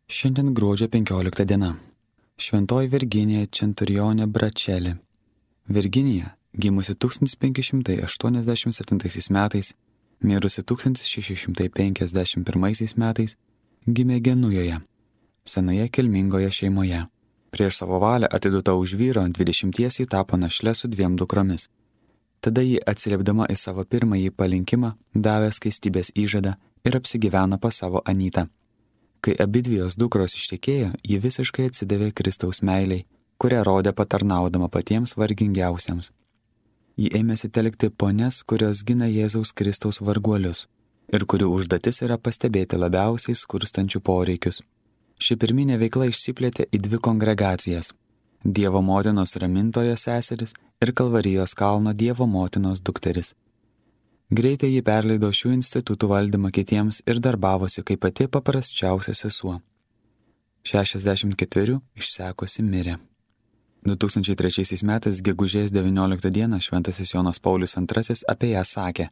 Šiandien gruodžio 15 diena. Šventoji Virginija Centurionė Bračelė. Virginija, gimusi 1587 metais, mirusi 1651 metais, gimė Genujoje, senoje kilmingoje šeimoje. Prieš savo valią atiduota už vyro 20 tapo našle su 2 dukromis. Tada ji, atsiliepdama į savo pirmąjį palinkimą, davė skaistybės įžadą ir apsigyveno pas savo anytą. Kai abidvi jos dukros ištekėjo, ji visiškai atsidavė Kristaus meiliai, kurią rodė patarnaudama patiems vargingiausiems. Ji ėmėsi telkti ponias, kurios gina Jėzaus Kristaus varguolius ir kurių užduotis yra pastebėti labiausiai skurstančių poreikius. Ši pirminė veikla išsiplėtė į 2 kongregacijas – Dievo motinos ramintojo seseris ir Kalvarijos kalno Dievo motinos dukteris. Greitai ji perleido šių institutų valdymą kitiems ir darbavosi kaip pati paprasčiausia sesuo. 64 išsekusi mirė. 2003 metais gegužės 19 dieną šventasis Jonas Paulius II apie ją sakė: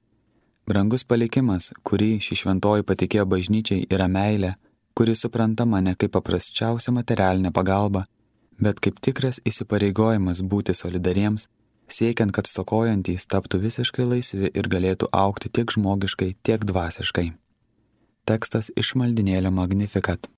brangus palikimas, kurį ši šventoji patikėjo bažnyčiai, yra meilė, kuri suprantama ne kaip paprasčiausia materialinė pagalba, bet kaip tikras įsipareigojimas būti solidariems, siekiant, kad stokojantys taptų visiškai laisvi ir galėtų augti tiek žmogiškai, tiek dvasiškai. Tekstas iš maldynėlio Magnificat.